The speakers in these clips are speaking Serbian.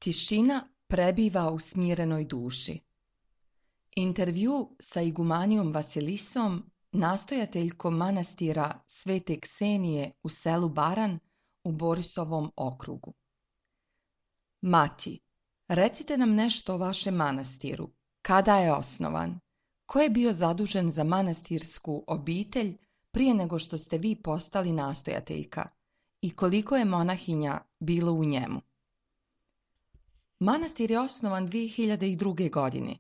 Tišina prebiva u smirenoj duši. Intervju sa igumanijom Vasilisom, nastojateljkom manastira Svete Ksenije u selu Baran u Borisovom okrugu. Mati, recite nam nešto o vašem manastiru. Kada je osnovan? Ko je bio zadužen za manastirsku obitelj prije nego što ste vi postali nastojateljka? I koliko je monahinja bilo u njemu? Manastir je osnovan 2002. godine,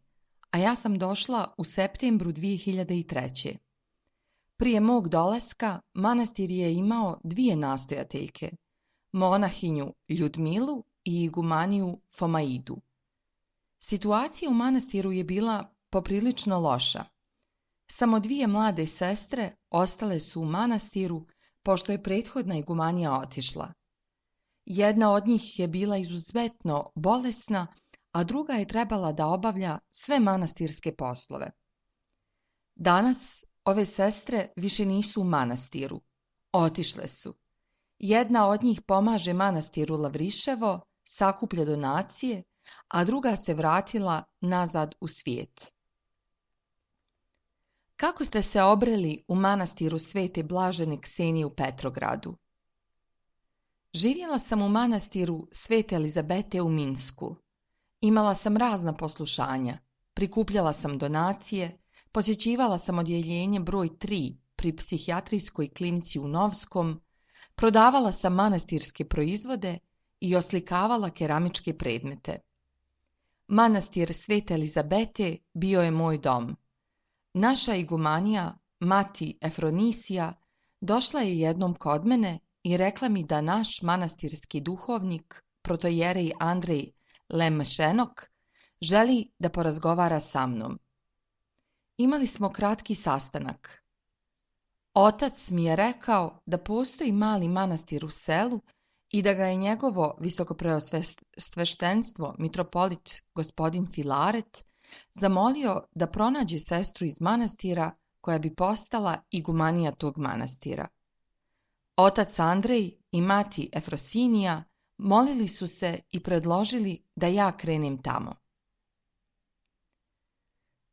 a ja sam došla u septembru 2003. Prije mog dolaska manastir je imao dvije nastojateljke, monahinju Ljudmilu i igumaniju Fomaidu. Situacija u manastiru je bila poprilično loša. Samo dvije mlade sestre ostale su u manastiru pošto je prethodna igumanija otišla. Jedna od njih je bila izuzetno bolesna, a druga je trebala da obavlja sve manastirske poslove. Danas ove sestre više nisu u manastiru. Otišle su. Jedna od njih pomaže manastiru Lavriševo, sakuplja donacije, a druga se vratila nazad u svijet. Kako ste se obreli u manastiru Svete Blažene Ksenije u Petrogradu? Živjela sam u manastiru Svete Elizabete u Minsku. Imala sam razna poslušanja, prikupljala sam donacije, posjećivala sam odjeljenje broj 3 pri psihijatrijskoj klinici u Novskom, prodavala sam manastirske proizvode i oslikavala keramičke predmete. Manastir Svete Elizabete bio je moj dom. Naša igumanija, mati Efronisija, došla je jednom kod mene i rekla mi da naš manastirski duhovnik, protojerej Andrej Lemšenok, želi da porazgovara sa mnom. Imali smo kratki sastanak. Otac mi je rekao da postoji mali manastir u selu i da ga je njegovo visokopreosveštenstvo mitropolit gospodin Filaret zamolio da pronađe sestru iz manastira koja bi postala igumanija tog manastira. Otac Andrej i mati Efrosinija molili su se i predložili da ja krenem tamo.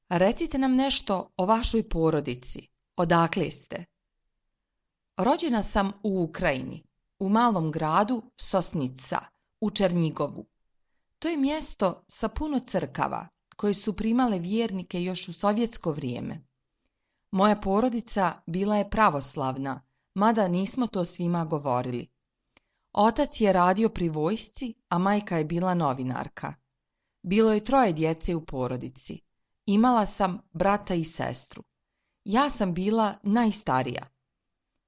Recite nam nešto o vašoj porodici. Odakle ste? Rođena sam u Ukrajini, u malom gradu Sosnica, u Černjigovu. To je mjesto sa puno crkava koje su primale vjernike još u sovjetsko vrijeme. Moja porodica bila je pravoslavna, mada nismo to svima govorili. Otac je radio pri vojsci, a majka je bila novinarka. Bilo je 3 djece u porodici. Imala sam brata i sestru. Ja sam bila najstarija.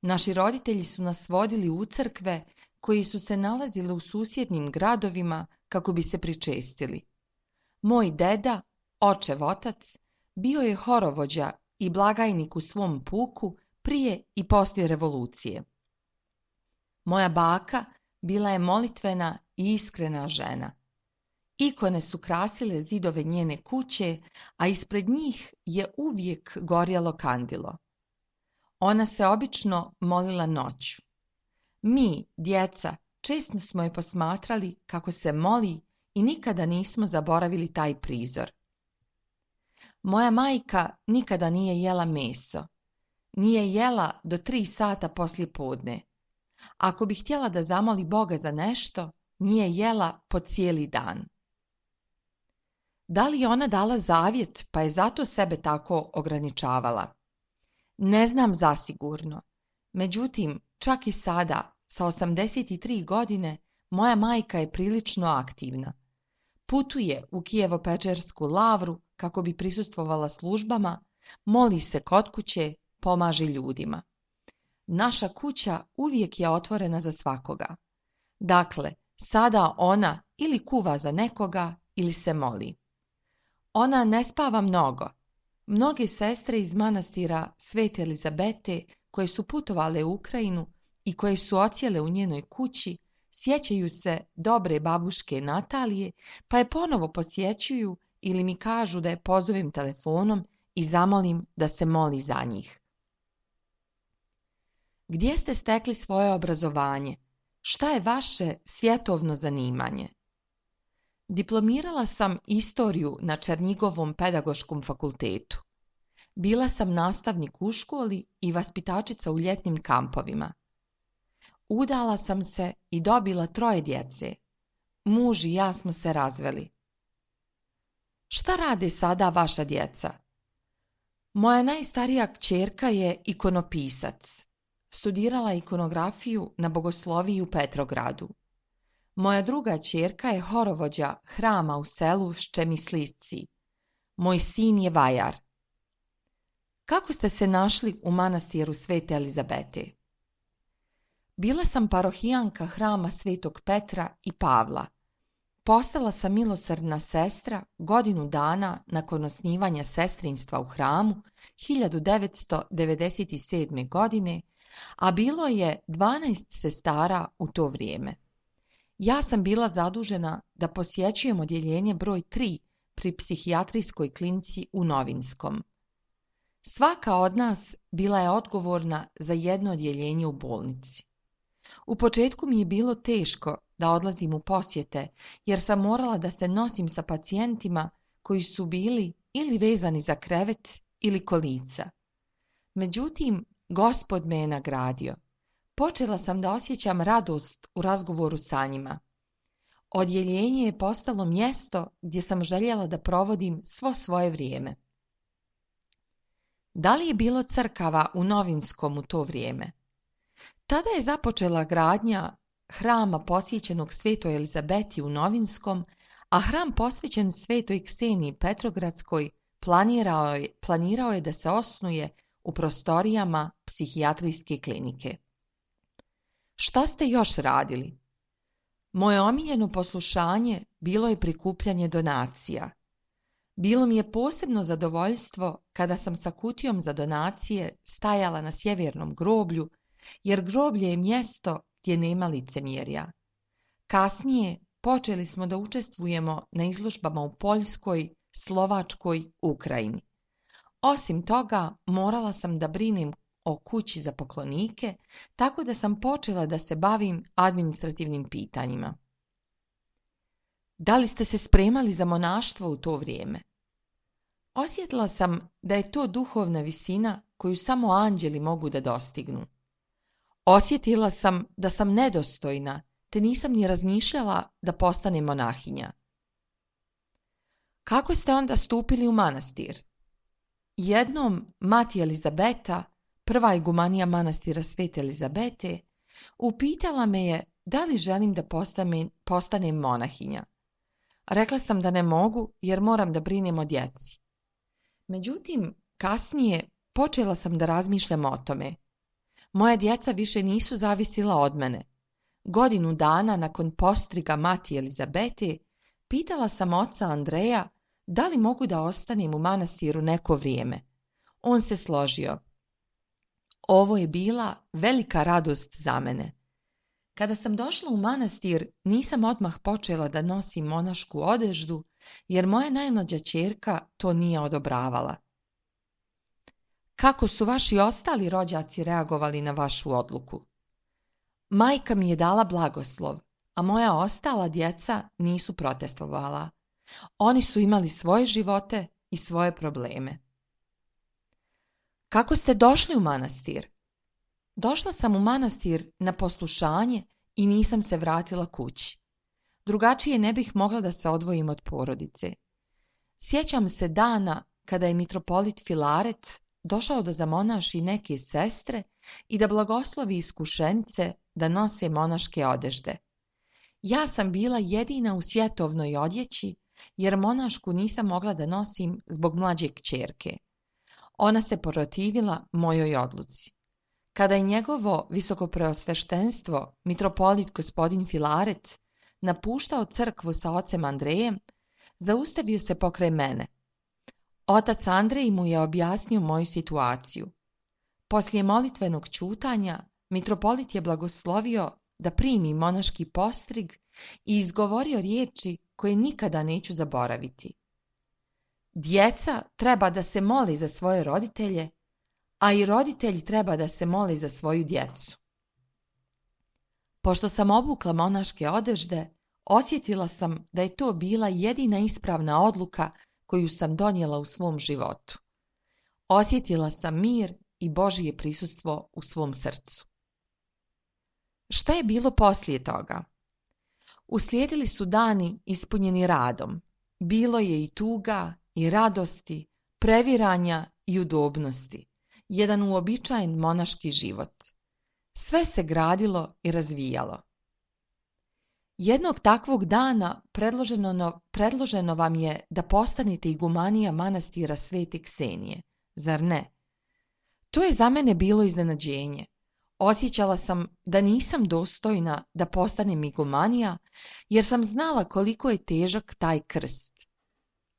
Naši roditelji su nas vodili u crkve koji su se nalazile u susjednim gradovima kako bi se pričestili. Moj deda, očev otac, bio je horovođa i blagajnik u svom puku prije i poslije revolucije. Moja baka bila je molitvena i iskrena žena. Ikone su krasile zidove njene kuće, a ispred njih je uvijek gorjelo kandilo. Ona se obično molila noću. Mi, djeca, često smo je posmatrali kako se moli i nikada nismo zaboravili taj prizor. Moja majka nikada nije jela meso. Nije jela do 3 sata poslije podne. Ako bi htjela da zamoli Boga za nešto, nije jela po cijeli dan. Da li je ona dala zavjet, pa je zato sebe tako ograničavala? Ne znam zasigurno. Međutim, čak i sada, sa 83 godine, moja majka je prilično aktivna. Putuje u Kijevo-Pečersku lavru kako bi prisustvovala službama, moli se kod kuće, pomaže ljudima. Naša kuća uvijek je otvorena za svakoga. Dakle, sada ona ili kuva za nekoga ili se moli. Ona ne spava mnogo. Mnoge sestre iz manastira Svete Elizabete koje su putovale u Ukrajinu i koje su odsjele u njenoj kući, sjećaju se dobre babuške Natalije, pa je ponovo posjećuju ili mi kažu da je pozovem telefonom i zamolim da se moli za njih. Gdje ste stekli svoje obrazovanje? Šta je vaše svjetovno zanimanje? Diplomirala sam istoriju na Černjigovom pedagoškom fakultetu. Bila sam nastavnik u školi i vaspitačica u ljetnim kampovima. Udala sam se i dobila 3 djece. Muž i ja smo se razveli. Šta rade sada vaša djeca? Moja najstarija kćerka je ikonopisac. Studirala ikonografiju na Bogosloviji u Petrogradu. Moja druga kćerka je horovođa hrama u selu Ščemislici. Moj sin je vajar. Kako ste se našli u manastiru Svete Elizabete? Bila sam parohijanka hrama Svetog Petra i Pavla. Postala sam milosrdna sestra godinu dana nakon osnivanja sestrinstva u hramu 1997. godine, a bilo je 12 sestara u to vrijeme. Ja sam bila zadužena da posjećujem odjeljenje broj 3 pri psihijatrijskoj klinici u Novinskom. Svaka od nas bila je odgovorna za jedno odjeljenje u bolnici. U početku mi je bilo teško da odlazim u posjete, jer sam morala da se nosim sa pacijentima koji su bili ili vezani za krevet ili kolica. Međutim, Gospod me je nagradio. Počela sam da osjećam radost u razgovoru sa njima. Odjeljenje je postalo mjesto gdje sam željela da provodim svo svoje vrijeme. Da li je bilo crkava u Novinskom u to vrijeme? Tada je započela gradnja hrama posvećenog Svetoj Elizabeti u Novinskom, a hram posvećen Svetoj Kseniji Petrogradskoj planirao je da se osnuje u prostorijama psihijatrijske klinike. Šta ste još radili? Moje omiljeno poslušanje bilo je prikupljanje donacija. Bilo mi je posebno zadovoljstvo kada sam sa kutijom za donacije stajala na sjevernom groblju, jer groblje je mjesto gdje nema licemjerja. Kasnije počeli smo da učestvujemo na izložbama u Poljskoj, Slovačkoj, Ukrajini. Osim toga, morala sam da brinem o kući za poklonike, tako da sam počela da se bavim administrativnim pitanjima. Da li ste se spremali za monaštvo u to vrijeme? Osjetila sam da je to duhovna visina koju samo anđeli mogu da dostignu. Osjetila sam da sam nedostojna, te nisam ni razmišljala da postanem monahinja. Kako ste onda stupili u manastir? Jednom mati Elizabeta, prva igumanija manastira Svete Elizabete, upitala me je da li želim da postanem monahinja. Rekla sam da ne mogu jer moram da brinem o djeci. Međutim, kasnije počela sam da razmišljam o tome. Moja djeca više nisu zavisila od mene. Godinu dana nakon postriga mati Elizabete, pitala sam oca Andreja da li mogu da ostanem u manastiru neko vrijeme. On se složio. Ovo je bila velika radost za mene. Kada sam došla u manastir, nisam odmah počela da nosim monašku odeždu, jer moja najmlađa ćerka to nije odobravala. Kako su vaši ostali rođaci reagovali na vašu odluku? Majka mi je dala blagoslov, a moja ostala djeca nisu protestovala. Oni su imali svoje živote i svoje probleme. Kako ste došli u manastir? Došla sam u manastir na poslušanje i nisam se vratila kući. Drugačije ne bih mogla da se odvojim od porodice. Sjećam se dana kada je mitropolit Filaret došao da zamonaši neke sestre i da blagoslovi iskušenice da nose monaške odežde. Ja sam bila jedina u svjetovnoj odjeći, jer monašku nisam mogla da nosim zbog mlađe kćerke. Ona se protivila mojoj odluci. Kada je njegovo visokopreosveštenstvo, mitropolit gospodin Filaret, napuštao crkvu sa ocem Andrejem, zaustavio se pokraj mene. Otac Andrej mu je objasnio moju situaciju. Poslije molitvenog ćutanja, mitropolit je blagoslovio da primi monaški postrig i izgovorio riječi koje nikada neću zaboraviti. Djeca treba da se moli za svoje roditelje, a i roditelji treba da se moli za svoju djecu. Pošto sam obukla monaške odežde, Osjetila sam da je to bila jedina ispravna odluka koju sam donijela u svom životu. Osjetila sam mir i Božje prisustvo u svom srcu. Šta je bilo poslije toga? Uslijedili su dani ispunjeni radom. Bilo je i tuga, i radosti, previranja i udobnosti. Jedan uobičajen monaški život. Sve se gradilo i razvijalo. Jednog takvog dana predloženo vam je da postanete igumanija manastira Svete Ksenije, zar ne? To je za mene bilo iznenađenje. Osjećala sam da nisam dostojna da postanem igumanija, jer sam znala koliko je težak taj krst.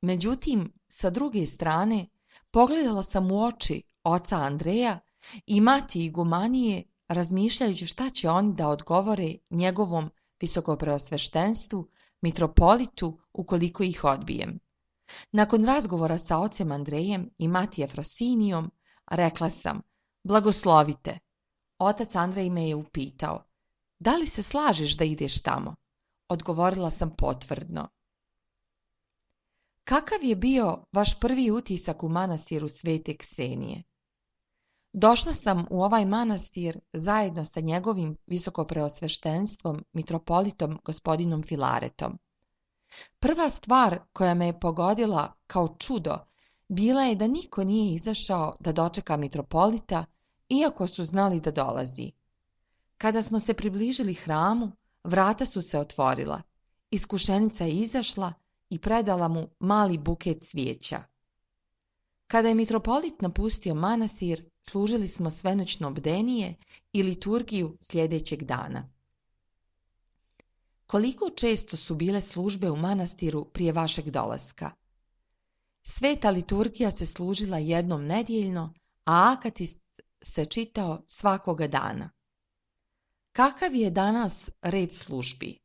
Međutim, sa druge strane, pogledala sam u oči oca Andreja i mati igumanije, razmišljajući šta će oni da odgovore njegovom visokopreosveštenstvu, mitropolitu, ukoliko ih odbijem. Nakon razgovora sa ocem Andrejem i mati Efrosinijom, rekla sam: blagoslovite. Otac Andrej me je upitao: da li se slažeš da ideš tamo? Odgovorila sam potvrdno. Kakav je bio vaš prvi utisak u manastiru Svete Ksenije? Došla sam u ovaj manastir zajedno sa njegovim visokopreosveštenstvom, mitropolitom gospodinom Filaretom. Prva stvar koja me je pogodila kao čudo bila je da niko nije izašao da dočeka mitropolita, iako su znali da dolazi. Kada smo se približili hramu, vrata su se otvorila. Iskušenica je izašla i predala mu mali buket cvijeća. Kada je mitropolit napustio manastir, služili smo svenoćno bdenije i liturgiju sljedećeg dana. Koliko često su bile službe u manastiru prije vašeg dolaska? Sveta liturgija se služila jednom nedjeljno, a akatist se čitao svakoga dana. Kakav je danas red službi?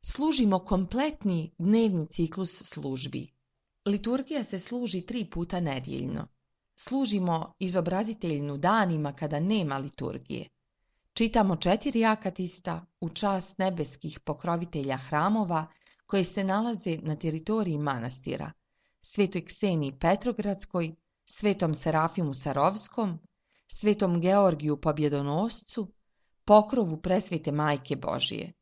Služimo kompletni dnevni ciklus službi. Liturgija se služi 3 puta nedjeljno. Služimo izobraziteljnu danima kada nema liturgije. Čitamo 4 akatista u čast nebeskih pokrovitelja hramova koji se nalaze na teritoriji manastira: Svetoj Kseniji Petrogradskoj, Svetom Serafimu Sarovskom, Svetom Georgiju Pobjedonoscu, pokrovu Presvete Majke Božije.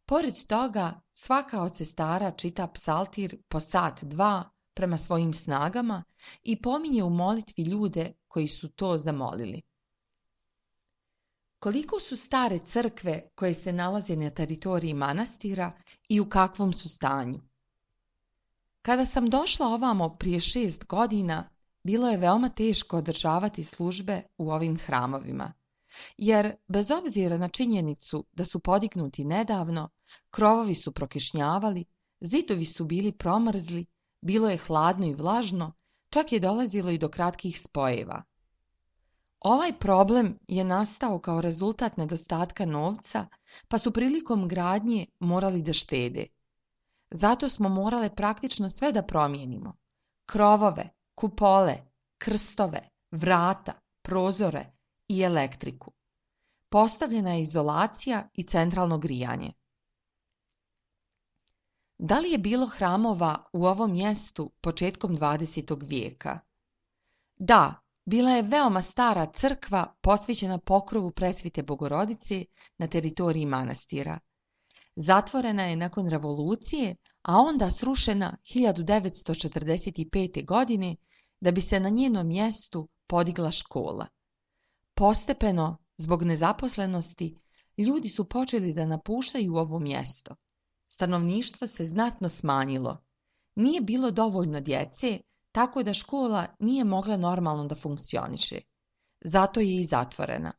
Pored toga, svaka od sestara čita psaltir po sat, 2 prema svojim snagama i pominje u molitvi ljude koji su to zamolili. Koliko su stare crkve koje se nalaze na teritoriji manastira i u kakvom su stanju? Kada sam došla ovamo prije 6 godina, bilo je veoma teško održavati službe u ovim hramovima, jer bez obzira na činjenicu da su podignuti nedavno, krovovi su prokišnjavali, zidovi su bili promrzli, bilo je hladno i vlažno, čak je dolazilo i do kratkih spojeva. Ovaj problem je nastao kao rezultat nedostatka novca, pa su prilikom gradnje morali da štede. Zato smo morale praktično sve da promijenimo: krovove, kupole, krstove, vrata, prozore i elektriku. Postavljena je izolacija i centralno grijanje. Da li je bilo hramova u ovom mjestu početkom 20. vijeka? Da, bila je veoma stara crkva posvećena pokrovu Presvete Bogorodice na teritoriji manastira. Zatvorena je nakon revolucije, a onda srušena 1945. godine da bi se na njenom mjestu podigla škola. Postepeno, zbog nezaposlenosti, ljudi su počeli da napuštaju ovo mjesto. Stanovništvo se znatno smanjilo. Nije bilo dovoljno djece, tako da škola nije mogla normalno da funkcioniše. Zato je i zatvorena.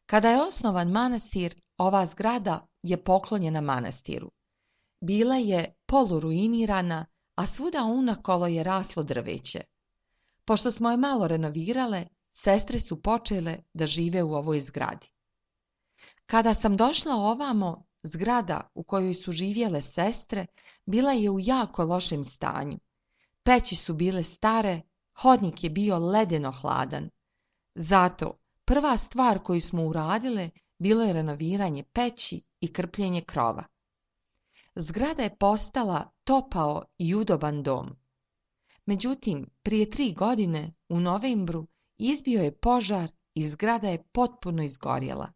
Kada je osnovan manastir, ova zgrada je poklonjena manastiru. Bila je poluruinirana, a svuda unakolo je raslo drveće. Pošto smo je malo renovirale, sestre su počele da žive u ovoj zgradi. Kada sam došla ovamo, zgrada u kojoj su živjele sestre bila je u jako lošem stanju. Peći su bile stare, hodnik je bio ledeno hladan. Zato prva stvar koju smo uradile bilo je renoviranje peći i krpljenje krova. Zgrada je postala topao i udoban dom. Međutim, prije 3 godine, u novembru, izbio je požar i zgrada je potpuno izgorjela.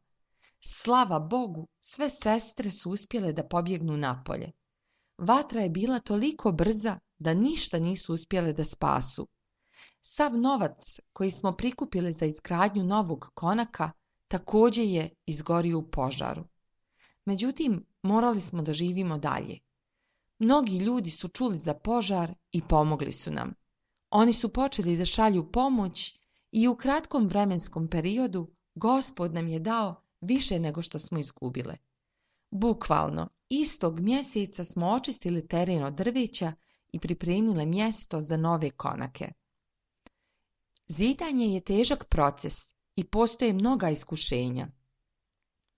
Slava Bogu, sve sestre su uspjele da pobjegnu napolje. Vatra je bila toliko brza da ništa nisu uspjele da spasu. Sav novac koji smo prikupili za izgradnju novog konaka također je izgorio u požaru. Međutim, morali smo da živimo dalje. Mnogi ljudi su čuli za požar i pomogli su nam. Oni su počeli da šalju pomoć i u kratkom vremenskom periodu Gospod nam je dao više nego što smo izgubile. Bukvalno, istog mjeseca smo očistili teren od drveća i pripremile mjesto za nove konake. Zidanje je težak proces i postoje mnoga iskušenja.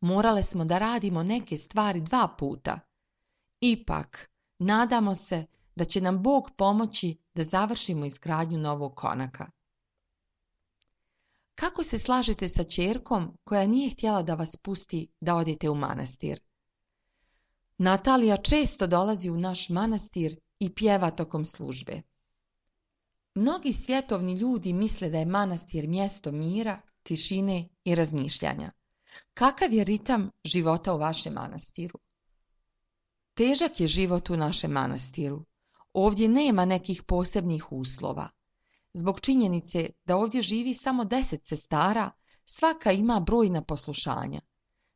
Morale smo da radimo neke stvari 2 puta. Ipak, nadamo se da će nam Bog pomoći da završimo izgradnju novog konaka. Kako se slažete sa ćerkom koja nije htjela da vas pusti da odete u manastir? Natalija često dolazi u naš manastir i pjeva tokom službe. Mnogi svjetovni ljudi misle da je manastir mjesto mira, tišine i razmišljanja. Kakav je ritam života u vašem manastiru? Težak je život u našem manastiru. Ovdje nema nekih posebnih uslova. Zbog činjenice da ovdje živi samo 10 sestara, svaka ima brojna poslušanja.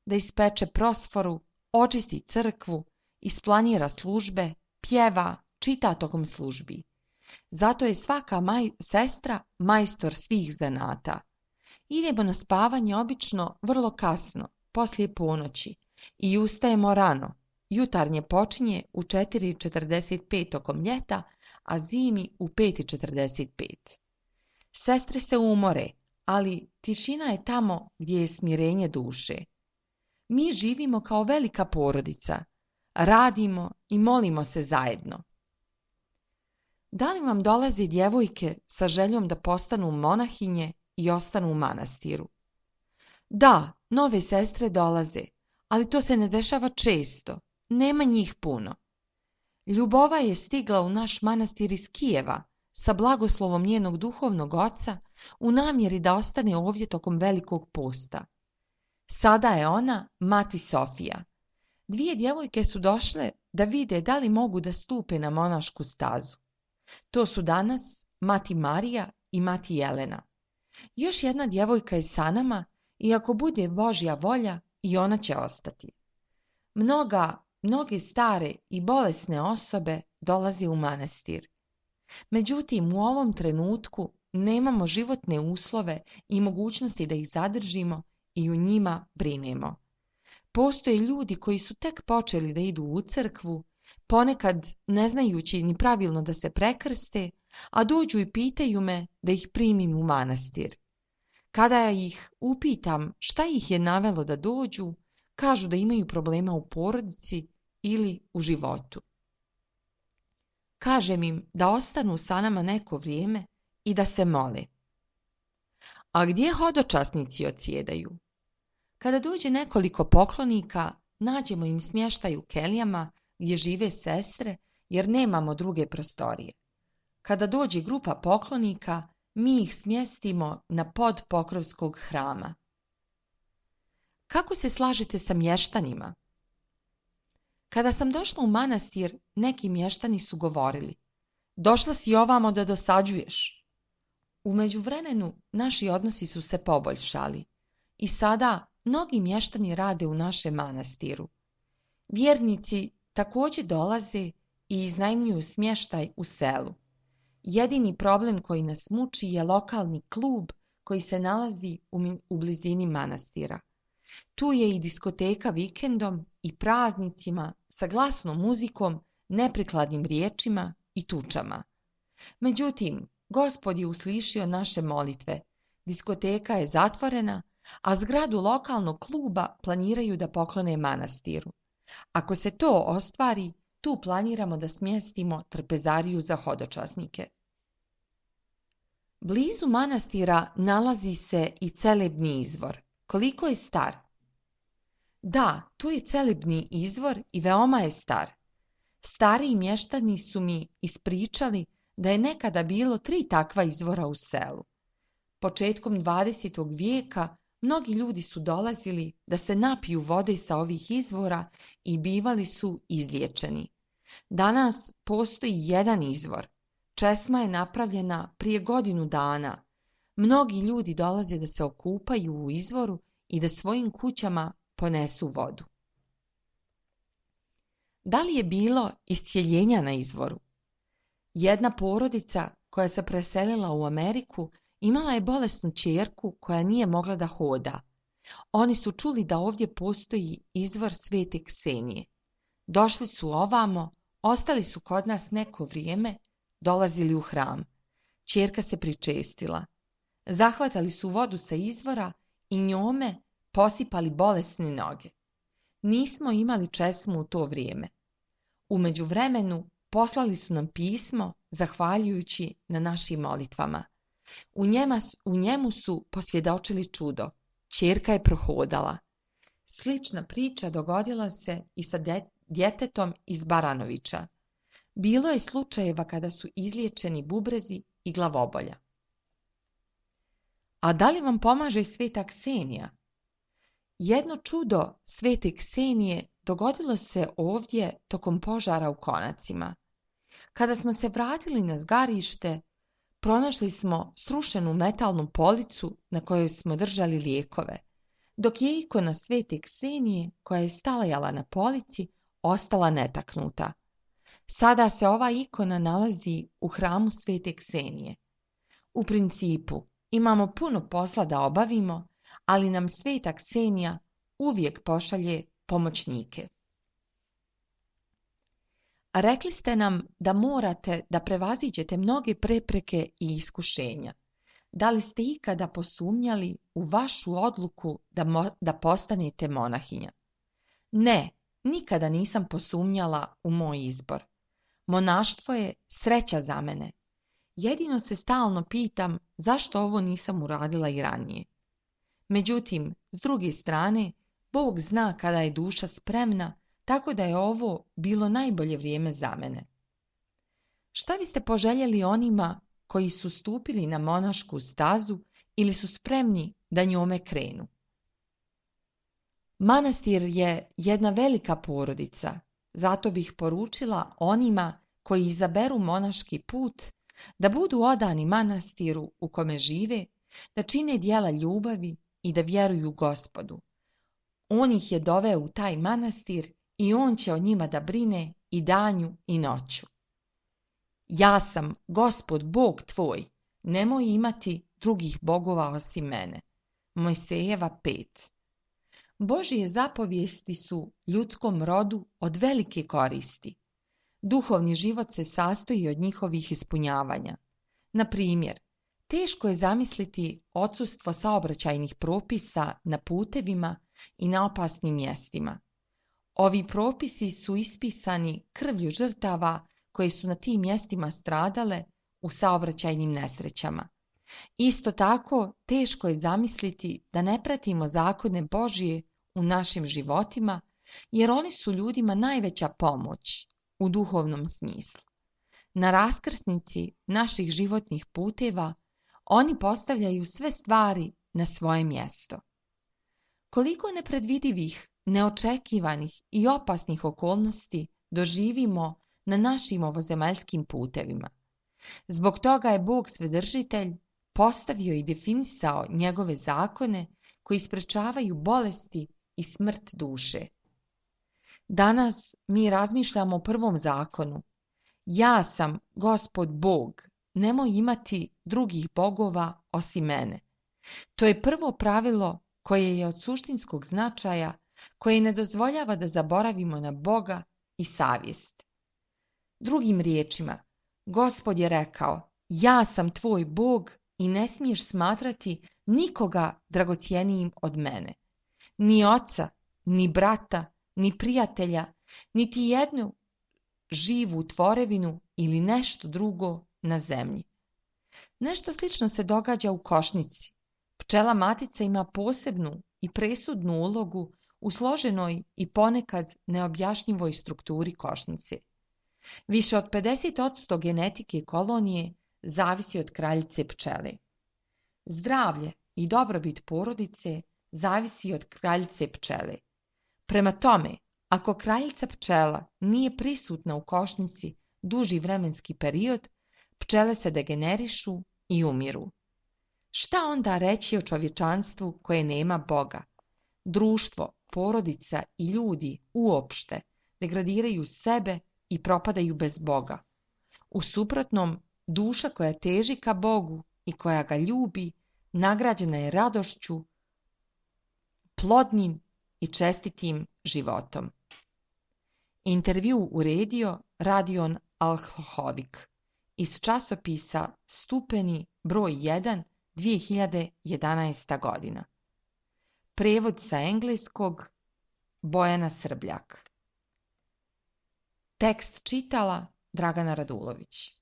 Da ispeče prosforu, očisti crkvu, isplanira službe, pjeva, čita tokom službi. Zato je svaka sestra majstor svih zanata. Idemo na spavanje obično vrlo kasno, poslije ponoći, i ustajemo rano. Jutarnje počinje u 4:45 tokom ljeta, a zimi u 5:45. Sestre se umore, ali tišina je tamo gdje je smirenje duše. Mi živimo kao velika porodica, radimo i molimo se zajedno. Da li vam dolaze djevojke sa željom da postanu monahinje i ostanu u manastiru? Da, nove sestre dolaze, ali to se ne dešava često, nema njih puno. Ljubova je stigla u naš manastir iz Kijeva sa blagoslovom njenog duhovnog oca u namjeri da ostane ovdje tokom velikog posta. Sada je ona mati Sofija. 2 djevojke su došle da vide da li mogu da stupe na monašku stazu. To su danas mati Marija i mati Jelena. Još jedna djevojka je sa nama i ako bude Božja volja i ona će ostati. Mnoge stare i bolesne osobe dolaze u manastir. Međutim, u ovom trenutku nemamo životne uslove i mogućnosti da ih zadržimo i u njima brinemo. Postoje ljudi koji su tek počeli da idu u crkvu, ponekad ne znajući ni pravilno da se prekrste, a dođu i pitaju me da ih primim u manastir. Kada ih upitam šta ih je navelo da dođu, kažu da imaju problema u porodici ili u životu. Kažem im da ostanu sa nama neko vrijeme i da se mole. A gdje hodočasnici odsjedaju? Kada dođe nekoliko poklonika, nađemo im smještaj u kelijama gdje žive sestre jer nemamo druge prostorije. Kada dođe grupa poklonika, mi ih smjestimo na pod pokrovskog hrama. Kako se slažete sa mještanima? Kada sam došla u manastir, neki mještani su govorili: došla si ovamo da dosađuješ. U međuvremenu naši odnosi su se poboljšali i sada mnogi mještani rade u našem manastiru. Vjernici također dolaze i iznajmljuju smještaj u selu. Jedini problem koji nas muči je lokalni klub koji se nalazi u blizini manastira. Tu je i diskoteka vikendom i praznicima sa glasnom muzikom, neprikladnim riječima i tučama. Međutim, Gospod je uslišio naše molitve. Diskoteka je zatvorena, a zgradu lokalnog kluba planiraju da poklone manastiru. Ako se to ostvari, tu planiramo da smjestimo trpezariju za hodočasnike. Blizu manastira nalazi se i Celebni izvor. Koliko je star? Da, tu je Celebni izvor i veoma je star. Stariji mještani su mi ispričali da je nekada bilo 3 takva izvora u selu. Početkom 20. vijeka mnogi ljudi su dolazili da se napiju vode sa ovih izvora i bivali su izliječeni. Danas postoji jedan izvor. Česma je napravljena prije godinu dana. Mnogi ljudi dolaze da se okupaju u izvoru i da svojim kućama ponesu vodu. Da li je bilo iscjeljenja na izvoru? Jedna porodica koja se preselila u Ameriku imala je bolesnu ćerku koja nije mogla da hoda. Oni su čuli da ovdje postoji izvor Svete Ksenije. Došli su ovamo, ostali su kod nas neko vrijeme, dolazili u hram. Ćerka se pričestila. Zahvatali su vodu sa izvora i njome posipali bolesne noge. Nismo imali česmu u to vrijeme. U međuvremenu poslali su nam pismo zahvaljujući na našim molitvama. U njemu su posvjedočili čudo. Ćerka je prohodala. Slična priča dogodila se i sa djetetom iz Baranovića. Bilo je slučajeva kada su izliječeni bubrezi i glavobolja. A da li vam pomaže Sveta Ksenija? Jedno čudo Svete Ksenije dogodilo se ovdje tokom požara u Konacima. Kada smo se vratili na zgarište, pronašli smo srušenu metalnu policu na kojoj smo držali lijekove, dok je ikona Svete Ksenije, koja je stajala na polici, ostala netaknuta. Sada se ova ikona nalazi u hramu Svete Ksenije. U principu, imamo puno posla da obavimo, ali nam Sveta Ksenija uvijek pošalje pomoćnike. Rekli ste nam da morate da prevaziđete mnoge prepreke i iskušenja. Da li ste ikada posumnjali u vašu odluku da postanete monahinja? Ne, nikada nisam posumnjala u moj izbor. Monaštvo je sreća za mene. Jedino se stalno pitam zašto ovo nisam uradila i ranije. Međutim, s druge strane, Bog zna kada je duša spremna, tako da je ovo bilo najbolje vrijeme za mene. Šta biste poželjeli onima koji su stupili na monašku stazu ili su spremni da njome krenu? Manastir je jedna velika porodica, zato bih poručila onima koji izaberu monaški put da budu odani manastiru u kome žive, da čine djela ljubavi i da vjeruju Gospodu. On ih je doveo u taj manastir i on će o njima da brine i danju i noću. Ja sam Gospod Bog tvoj, nemoj imati drugih bogova osim mene. Mojsejeva 5. Božje zapovijesti su ljudskom rodu od velike koristi. Duhovni život se sastoji od njihovih ispunjavanja. Na primjer, teško je zamisliti odsustvo saobraćajnih propisa na putevima i na opasnim mjestima. Ovi propisi su ispisani krvlju žrtava koje su na tim mjestima stradale u saobraćajnim nesrećama. Isto tako, teško je zamisliti da ne pratimo zakone Božje u našim životima, jer oni su ljudima najveća pomoć u duhovnom smislu. Na raskrsnici naših životnih puteva oni postavljaju sve stvari na svoje mjesto. Koliko nepredvidivih, neočekivanih i opasnih okolnosti doživimo na našim ovozemaljskim putevima. Zbog toga je Bog Svedržitelj postavio i definisao njegove zakone koji sprečavaju bolesti i smrt duše. Danas mi razmišljamo o prvom zakonu. Ja sam Gospod Bog, nemoj imati drugih bogova osim mene. To je prvo pravilo koje je od suštinskog značaja, koje ne dozvoljava da zaboravimo na Boga i savjest. Drugim riječima, Gospod je rekao, ja sam tvoj Bog i ne smiješ smatrati nikoga dragocjenijim od mene. Ni oca, ni brata, ni prijatelja, niti jednu živu tvorevinu ili nešto drugo na zemlji. Nešto slično se događa u košnici. Pčela matica ima posebnu i presudnu ulogu u složenoj i ponekad neobjašnjivoj strukturi košnice. Više od 50% genetike kolonije zavisi od kraljice pčele. Zdravlje i dobrobit porodice zavisi od kraljice pčele. Prema tome, ako kraljica pčela nije prisutna u košnici duži vremenski period, pčele se degenerišu i umiru. Šta onda reći o čovječanstvu koje nema Boga? Društvo, porodica i ljudi uopšte degradiraju sebe i propadaju bez Boga. U suprotnom, duša koja teži ka Bogu i koja ga ljubi, nagrađena je radošću, plodnim i čestitim životom. Intervju uredio Radion Alhohovik iz časopisa Stupeni broj 1 2011. godina. Prevod sa engleskog Bojana Srbljak. Tekst čitala Dragana Radulović.